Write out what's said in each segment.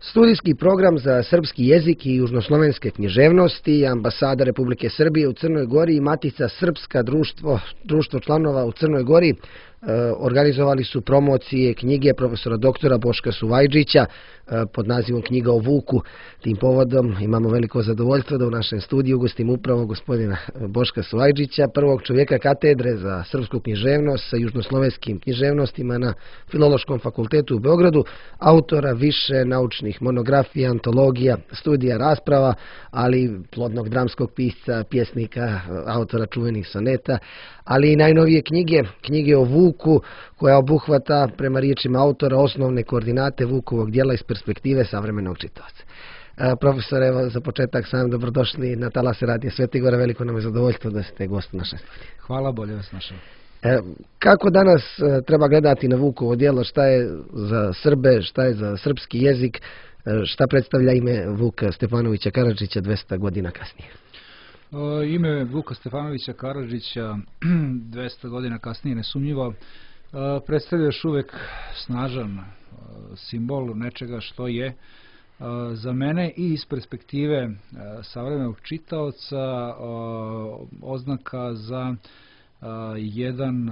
Studijski program za srpski jezik i južnoslovenske književnosti, Ambasada Republike Srbije u Crnoj Gori i Matica Srpska društvo članova u Crnoj Gori organizovali su promocije knjige profesora doktora Boška Suvajđića pod nazivom Knjiga o Vuku. Tim povodom imamo veliko zadovoljstvo da u našem studiju ugostimo upravo gospodina Boška Suvajđića, prvog čovjeka katedre za srpsku književnost sa južnoslovenskim književnostima na Filološkom fakultetu u Beogradu, autora više naučnih monografija, antologija, studija, rasprava, ali plodnog dramskog pisca, pjesnika, autora čuvenih soneta, ali i najnovije knjige o Vuku, koja obuhvata, prema riječima autora, osnovne koordinate Vukovog djela iz perspektive savremenog čitaoca. Profesor, evo za početak sam dobrodošli na talase Radija Svetigora, veliko nam je zadovoljstvo da ste gost naše studije. Hvala, bolje vas našao. Kako danas treba gledati na Vukovo djelo, šta je za Srbe, šta je za srpski jezik, šta predstavlja ime Vuka Stefanovića Karadžića 200 godina kasnije? Ime Vuka Stefanovića Karadžića 200 godina kasnije nesumnjivo predstavlja još uvijek snažan simbol nečega što je za mene i iz perspektive savremenog čitaoca oznaka za jedan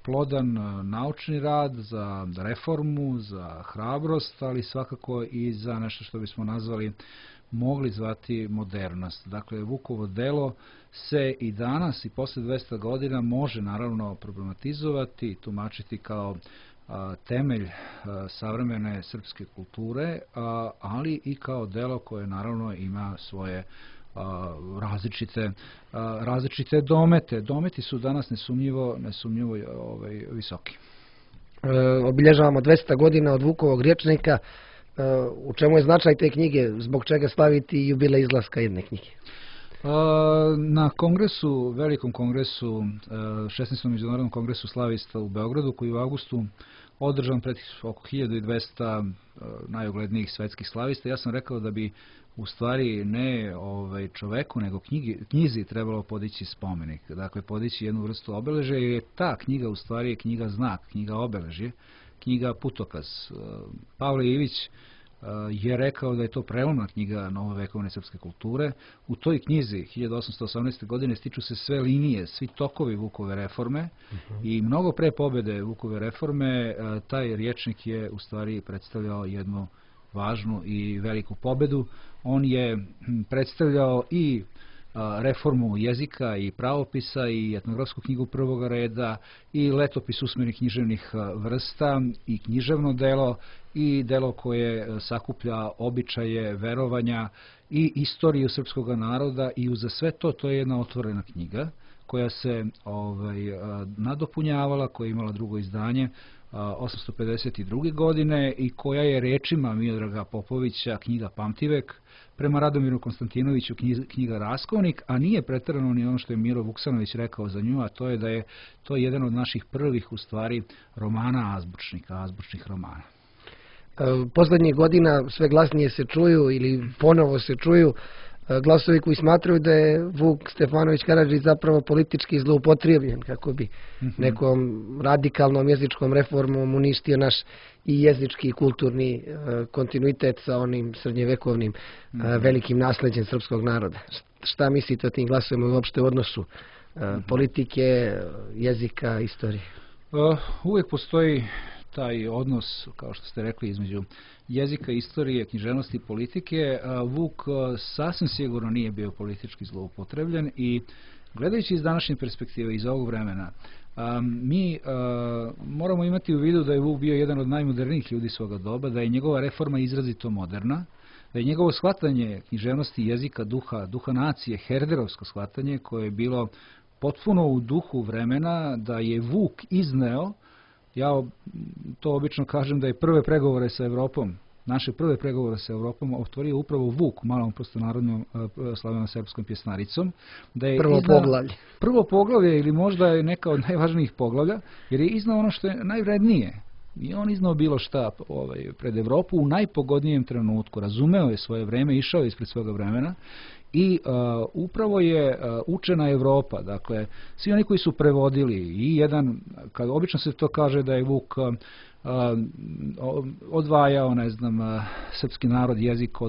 plodan naučni rad, za reformu, za hrabrost, ali svakako i za nešto što bismo mogli zvati modernost. Dakle, Vukovo delo se i danas i posle 200 godina može naravno problematizovati, tumačiti kao temelj savremene srpske kulture, ali i kao delo koje naravno ima svoje različite domete. Dometi su danas nesumnjivo visoki. Obilježavamo 200 godina od Vukovog rječnika. U čemu je značaj te knjige? Zbog čega slaviti jubilej izlaska jedne knjige? Na kongresu, velikom kongresu, 16. međunarodnom kongresu slavista u Beogradu, koji je u avgustu održan pred oko 1200 najuglednijih svetskih slavista, ja sam rekao da bi u stvari ne čoveku, nego knjizi trebalo podići spomenik. Dakle, podići jednu vrstu obeležja, jer je ta knjiga u stvari knjiga znak, knjiga obeležje, knjiga putokaz. Pavle Ivić je rekao da je to prelomna knjiga novovekovne srpske kulture. U toj knjizi 1818. godine stiču se sve linije, svi tokovi Vukove reforme i mnogo pre pobjede Vukove reforme taj rječnik je u stvari predstavljao jednu važnu i veliku pobjedu. On je predstavljao i reformu jezika i pravopisa i etnografsku knjigu prvoga reda i letopis usmenih književnih vrsta i književno delo i delo koje sakuplja običaje, verovanja i istoriju srpskog naroda i uza sve to je jedna otvorena knjiga koja se nadopunjavala, koja je imala drugo izdanje 852. godine i koja je rečima Miodraga Popovića knjiga Pamtivek, prema Radomiru Konstantinoviću knjiga Raskovnik, a nije pretjerano ni ono što je Miro Vuksanović rekao za nju, a to je da je to jedan od naših prvih u stvari romana azbučnih romana. Posljednjih godina sve glasnije se čuju ili ponovo se čuju glasovi koji smatraju da je Vuk Stefanović Karadžić zapravo politički zloupotrebljen kako bi nekom radikalnom jezičkom reformom uništio naš i jezički i kulturni kontinuitet sa onim srednjevekovnim velikim nasleđem srpskog naroda. Šta mislite o tim glasovima i uopšte u odnosu politike, jezika, istorije? Uvijek postoji taj odnos, kao što ste rekli, između jezika, istorije, književnosti i politike. Vuk sasvim sigurno nije bio politički zloupotrebljen i gledajući iz današnje perspektive, iz ovog vremena, mi moramo imati u vidu da je Vuk bio jedan od najmodernijih ljudi svoga doba, da je njegova reforma izrazito moderna, da je njegovo shvatanje književnosti, jezika, duha nacije, herderovsko shvatanje koje je bilo potpuno u duhu vremena, da je Vuk izneo, ja to obično kažem da je prve pregovore sa Evropom, naše prve pregovore sa Evropom otvorio upravo Vuk, malom prostonarodnom slaveno-srpskom pjesnaricom. Da je prvo poglavlje ili možda je neka od najvažnijih poglavlja, jer je iznao ono što je najvrednije. I on iznao bilo šta pred Evropu u najpogodnijem trenutku. Razumeo je svoje vreme, išao je ispred svoga vremena I upravo je učena Evropa, dakle, svi oni koji su prevodili i jedan, kad obično se to kaže da je Vuk odvajao, ne znam, srpski narod, jezik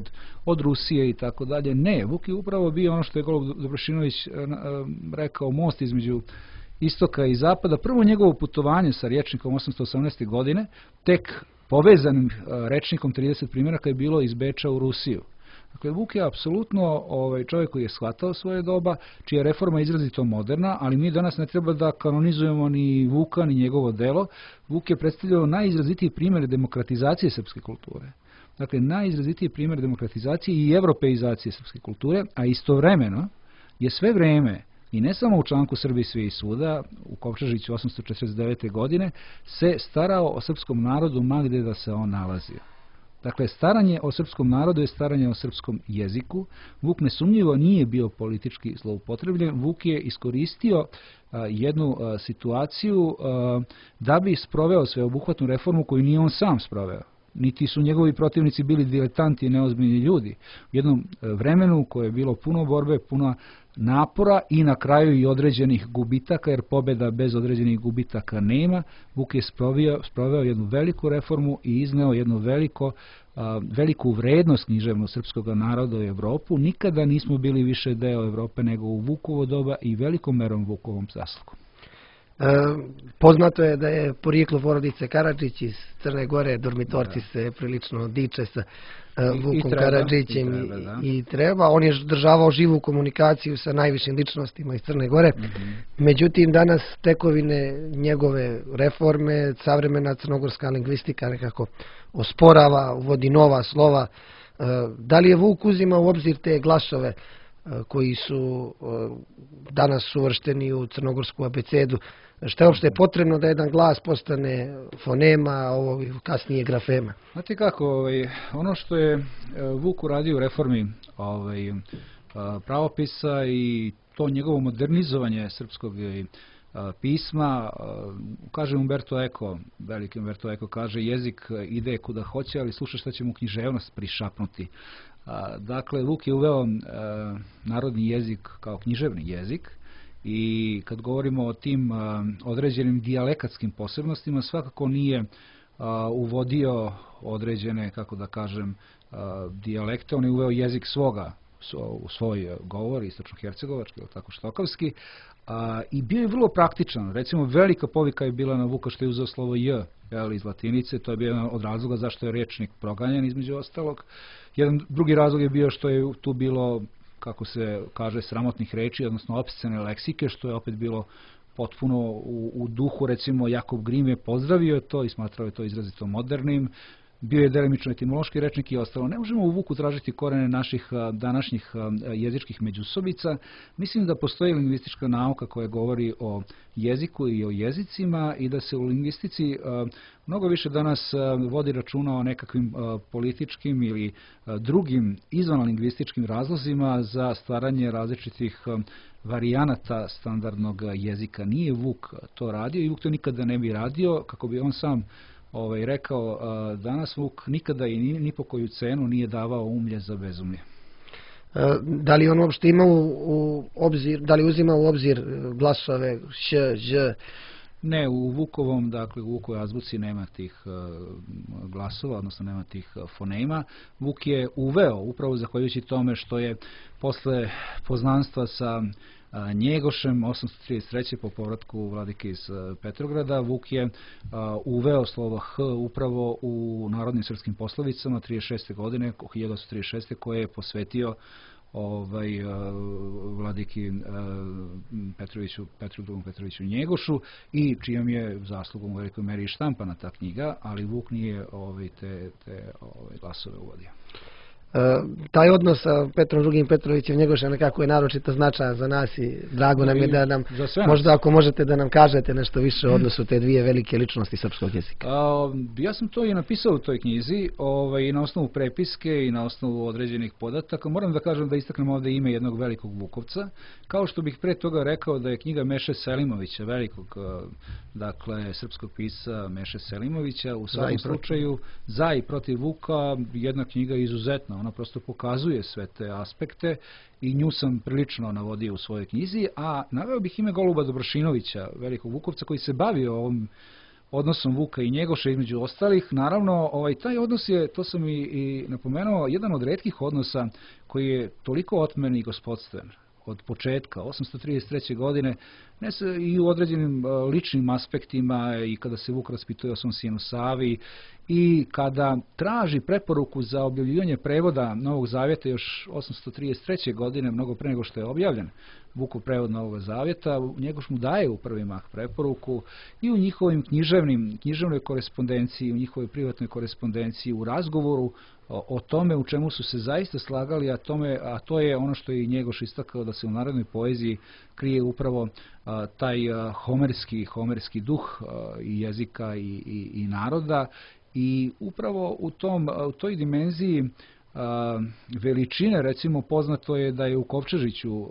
od Rusije i tako dalje. Ne, Vuk je upravo bio ono što je Golub Dobrošinović rekao, most između istoka i zapada. Prvo njegovo putovanje sa rječnikom 818. godine, tek povezanim rečnikom 30 primjeraka je bilo iz Beča u Rusiju. Dakle, Vuk je apsolutno čovjek koji je shvatao svoje doba, čija je reforma izrazito moderna, ali mi danas ne treba da kanonizujemo ni Vuka, ni njegovo delo. Vuk je predstavljao najizrazitiji primjer demokratizacije srpske kulture. Dakle, najizrazitiji primjer demokratizacije i evropeizacije srpske kulture, a istovremeno je sve vreme, i ne samo u članku Srbiji svi i svuda, u Kovčežiću 849. godine, se starao o srpskom narodu ma gde da se on nalazio. Dakle, staranje o srpskom narodu je staranje o srpskom jeziku. Vuk nesumnjivo nije bio politički zloupotrebljen. Vuk je iskoristio jednu situaciju da bi sproveo sveobuhvatnu reformu koju nije on sam sproveo. Niti su njegovi protivnici bili diletanti i neozbiljni ljudi. U jednom vremenu koje je bilo puno borbe, puno napora i na kraju i određenih gubitaka, jer pobjeda bez određenih gubitaka nema. Vuk je sproveo jednu veliku reformu i izneo jednu veliku vrednost književno srpskog naroda u Evropu. Nikada nismo bili više deo Evrope nego u Vukovo doba i velikom merom Vukovom zaslugom. Poznato je da je porijeklo porodice Karadžić iz Crne Gore, dormitorci se prilično diče sa Vukom Karadžićem i treba. On je državao živu komunikaciju sa najvišim ličnostima iz Crne Gore. Međutim, danas tekovine njegove reforme, savremena crnogorska lingvistika nekako osporava, uvodi nova slova. Da li je Vuk uzimao u obzir te glasove koji su danas uvršteni u crnogorsku abecedu? Šta je uopšte potrebno da jedan glas postane fonema, a ovo kasnije grafema? Znate kako, ono što je Vuk uradio u reformi pravopisa i to njegovo modernizovanje srpskog pisma, kaže Umberto Eco, veliki Umberto Eco, kaže jezik ide kuda hoće, ali sluša šta će mu književnost prišapnuti. Dakle, Vuk je uveo narodni jezik kao književni jezik i kad govorimo o tim određenim dijalekatskim posebnostima, svakako nije uvodio određene, kako da kažem, dijalekte, on je uveo jezik u svoj govor, istočno-hercegovački, ili tako štokavski, i bio je vrlo praktičan. Recimo, velika povika je bila na Vuka što je uzeo slovo J iz latinice, to je bio jedan od razloga zašto je rečnik proganjan između ostalog. Jedan drugi razlog je bio što je tu bilo, kako se kaže, sramotnih reči, odnosno opscene leksike, što je opet bilo potpuno u duhu, recimo Jakov Grim je pozdravio to i smatrao je to izrazito modernim. Bio je delimično etimološki rečnik i ostalo. Ne možemo u Vuku tražiti korene naših današnjih jezičkih međusobica. Mislim da postoji lingvistička nauka koja govori o jeziku i o jezicima i da se u lingvistici mnogo više danas vodi računa o nekakvim političkim ili drugim izvanlingvističkim razlozima za stvaranje različitih varijanata standardnog jezika. Nije Vuk to radio i Vuk to nikada ne bi radio, kako bi on sam rekao, danas Vuk nikada i ni po koju cenu nije davao umlje za bezumlje. Da li on uopšte ima u obzir, da li uzima u obzir glasove š, ž? Ne, u Vukovom, dakle u Vukovoj azbuci nema tih glasova, odnosno nema tih fonema. Vuk je uveo, upravo zahvaljujući tome što je posle poznanstva sa Njegošem 833. po povratku vladike iz Petrograda, Vuk je uveo slovo H upravo u narodnim srpskim poslovicama 36. godine, 1836. koje je posvetio vladiki Petru Petroviću Njegošu i čijom je zaslugom u velikoj meri štampana ta knjiga, ali Vuk nije te glasove uvodio. Taj odnos sa Petrom II. Petrovićem Njegošem nekako je naročito značajan za nas i drago nam je da nam, možda ako možete da nam kažete nešto više o odnosu te dvije velike ličnosti srpskog jezika. Ja sam to i napisao u toj knjizi i na osnovu prepiske i na osnovu određenih podataka. Moram da kažem da istaknem ovdje ime jednog velikog Vukovca, kao što bih pre toga rekao da je knjiga Meše Selimovića, velikog srpskog pisca Meše Selimovića, u svakom slučaju za i protiv Vuka jedna knjiga izuzetna. Ona prosto pokazuje sve te aspekte i nju sam prilično navodio u svojoj knjizi, a naveo bih ime Goluba Dobrošinovića, velikog Vukovca, koji se bavio ovom odnosom Vuka i Njegoša između ostalih. Naravno, taj odnos je, to sam i napomenuo, jedan od retkih odnosa koji je toliko otmen i gospodstven od početka, 833. godine, i u određenim ličnim aspektima, i kada se Vuk raspituje o svom sinu Savi, i kada traži preporuku za objavljivanje prevoda Novog Zavjeta još 833. godine, mnogo pre nego što je objavljen Vukov prevod Novog Zavjeta, Njegoš mu daje u prvi mah preporuku i u njihovim književnoj korespondenciji, u njihovoj privatnoj korespondenciji, u razgovoru o tome u čemu su se zaista slagali, a to je ono što je i Njegoš istakao, da se u narodnoj poeziji krije upravo taj homerski duh i jezika i naroda, i upravo u toj dimenziji veličine, recimo, poznato je da je u Kovčežiću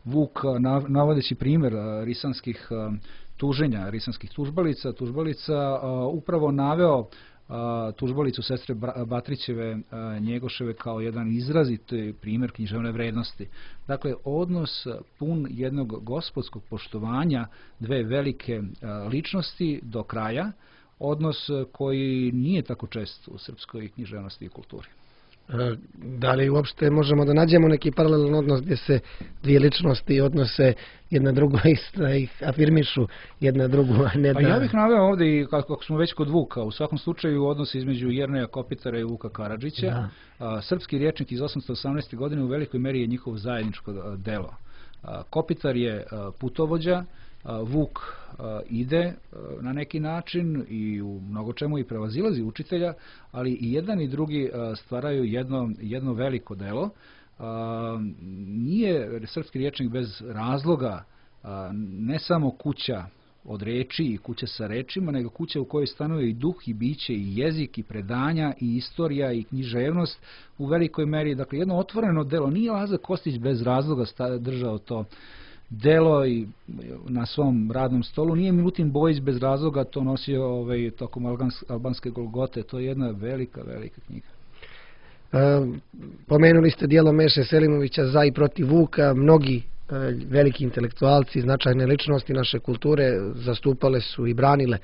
Vuk, navodeći primjer risanskih tuženja, risanskih tužbalica, upravo naveo tužbalicu sestre Batrićeve Njegoševe kao jedan izraziti primjer književne vrednosti. Dakle, odnos pun jednog gospodskog poštovanja dve velike ličnosti do kraja, odnos koji nije tako čest u srpskoj književnosti i kulturi. Da li uopšte možemo da nađemo neki paralelan odnos gdje se dvije ličnosti odnose jedna drugo da ih afirmišu jedna drugu, a ne da... Ja bih naveo ovdje, i kako smo već kod Vuka, u svakom slučaju odnos između Jerneja Kopitara i Vuka Karadžića. Srpski rječnik iz 818. godine u velikoj meri je njihovo zajedničko delo. Kopitar je putovođa, Vuk ide na neki način i u mnogo čemu i prevazilazi učitelja, ali i jedan i drugi stvaraju jedno veliko delo. Nije srpski rječnik bez razloga ne samo kuća od reči i kuća sa rečima, nego kuća u kojoj stanuje i duh i biće i jezik i predanja i istorija i književnost u velikoj meri. Dakle, jedno otvoreno delo. Nije Lazar Kostić bez razloga držao to delo i na svom radnom stolu. Nije Milutin Bojić bez razloga to nosio tokom albanske Golgote. To je jedna velika knjiga. Pomenuli ste dijelo Meše Selimovića Za i protiv Vuka. Mnogi veliki intelektualci, značajne ličnosti naše kulture zastupale su i branile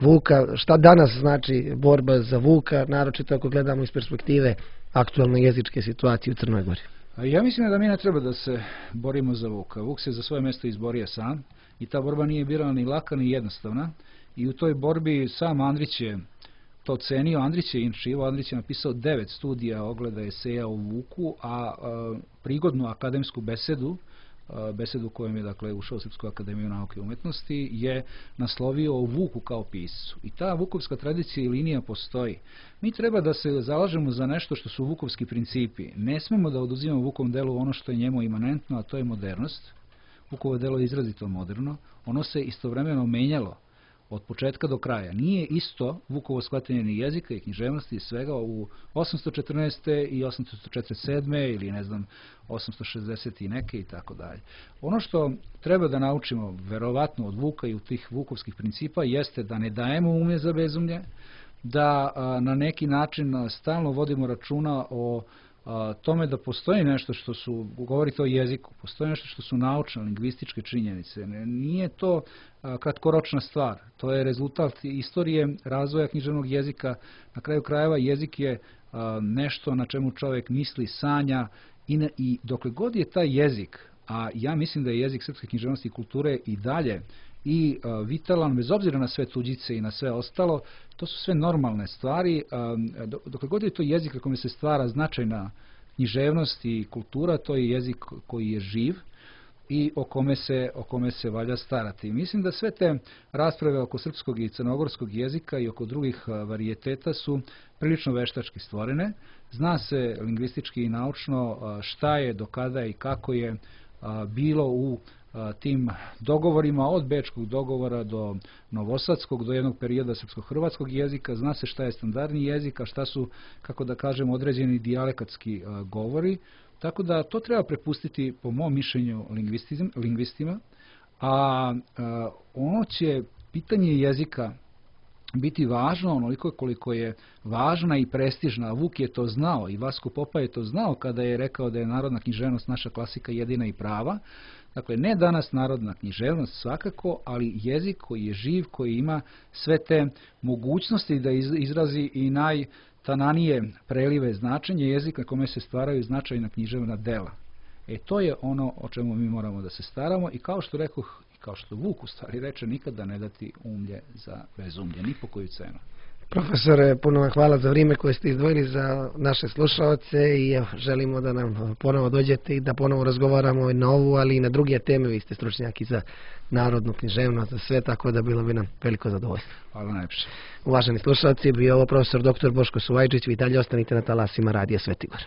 Vuka. Šta danas znači borba za Vuka, naročito ako gledamo iz perspektive aktualne jezičke situacije u Crnoj Gori? Ja mislim da mi ne treba da se borimo za Vuka. Vuk se za svoje mjesto izborio sam i ta borba nije bila ni laka ni jednostavna, i u toj borbi sam Andrić je to cenio. Andrić je napisao 9 studija, ogleda, eseja o Vuku, a prigodnu akademsku besedu kojom je dakle ušao u Srpsku akademiju nauke i umetnosti, je naslovio o Vuku kao piscu. I ta vukovska tradicija i linija postoji. Mi treba da se zalažemo za nešto što su vukovski principi. Ne smemo da oduzimamo Vukovom delu ono što je njemu imanentno, a to je modernost. Vukovo delo je izrazito moderno. Ono se istovremeno menjalo od početka do kraja. Nije isto Vukovo shvatanje ni jezika i književnosti i svega u 814. i 847. ili 860. i neke i tako dalje. Ono što treba da naučimo verovatno od Vuka i od tih vukovskih principa jeste da ne dajemo umlje za bezumlje, da na neki način stalno vodimo računa o tome da postoji nešto što su, govorite o jeziku, postoji nešto što su naučne, lingvističke činjenice. Nije to kratkoročna stvar, to je rezultat istorije razvoja književnog jezika. Na kraju krajeva jezik je nešto na čemu čovjek misli, sanja, i dokle god je taj jezik, a ja mislim da je jezik srpske književnosti i kulture i dalje i vitalan, bez obzira na sve tuđice i na sve ostalo, to su sve normalne stvari. Dokle god je to jezik na kome se stvara značajna književnost i kultura, to je jezik koji je živ i o kome se valja starati. Mislim da sve te rasprave oko srpskog i crnogorskog jezika i oko drugih varijeteta su prilično veštački stvorene. Zna se lingvistički i naučno šta je, do kada i kako je bilo u tim dogovorima, od bečkog dogovora do novosadskog, do jednog perioda srpsko-hrvatskog jezika. Zna se šta je standardni jezik, a šta su, kako da kažem, određeni dijalekatski govori. Tako da to treba prepustiti, po mom mišljenju, lingvistima, a ono će pitanje jezika biti važno onoliko koliko je važna i prestižna. Vuk je to znao i Vasko Popa je to znao kada je rekao da je narodna književnost naša klasika jedina i prava. Dakle, ne danas narodna književnost svakako, ali jezik koji je živ, koji ima sve te mogućnosti da izrazi i najtananije prelive značenje, jezik na kome se stvaraju značajna književna dela. To je ono o čemu mi moramo da se staramo i kao što rekoh, kao što Vuk u stvari reče, nikada ne dati umlje za bezumlje, ni po koju cenu. Profesore, puno vam hvala za vrijeme koje ste izdvojili za naše slušaoce i evo, želimo da nam ponovo dođete i da ponovo razgovaramo i na ovu, ali i na druge teme. Vi ste stručnjaki za narodnu književnost, za sve, tako da bilo bi nam veliko zadovoljstvo. Hvala najpše. Uvaženi slušalci, bio ovo profesor dr. Boško Suvajčić, vi dalje ostanite na talasima Radija Svetigor.